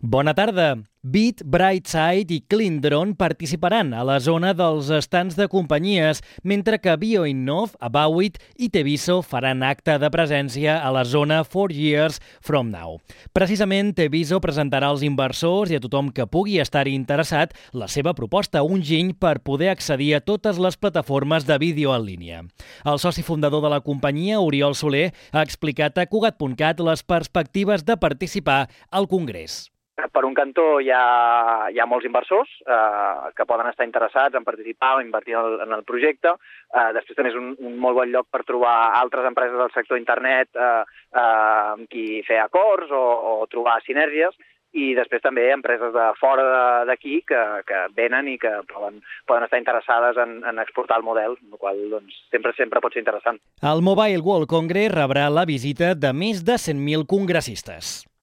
Bona tarda. Bit, Brightside i Cleandron participaran a la zona dels estants de companyies, mentre que BioInnov, Abawit i Teviso faran acte de presència a la zona 4 Years From Now. Precisament, Teviso presentarà als inversors i a tothom que pugui estar-hi interessat la seva proposta, un giny per poder accedir a totes les plataformes de vídeo en línia. El soci fundador de la companyia, Oriol Soler, ha explicat a Cugat.cat les perspectives de participar al Congrés. Per un cantó hi ha molts inversors que poden estar interessats en participar o invertir en el projecte. Després també és un molt bon lloc per trobar altres empreses del sector internet amb qui fer acords o trobar sinergies. I després també empreses de fora d'aquí que venen i que poden estar interessades en exportar el model, el qual sempre pot ser interessant. El Mobile World Congress rebrà la visita de més de 100.000 congressistes.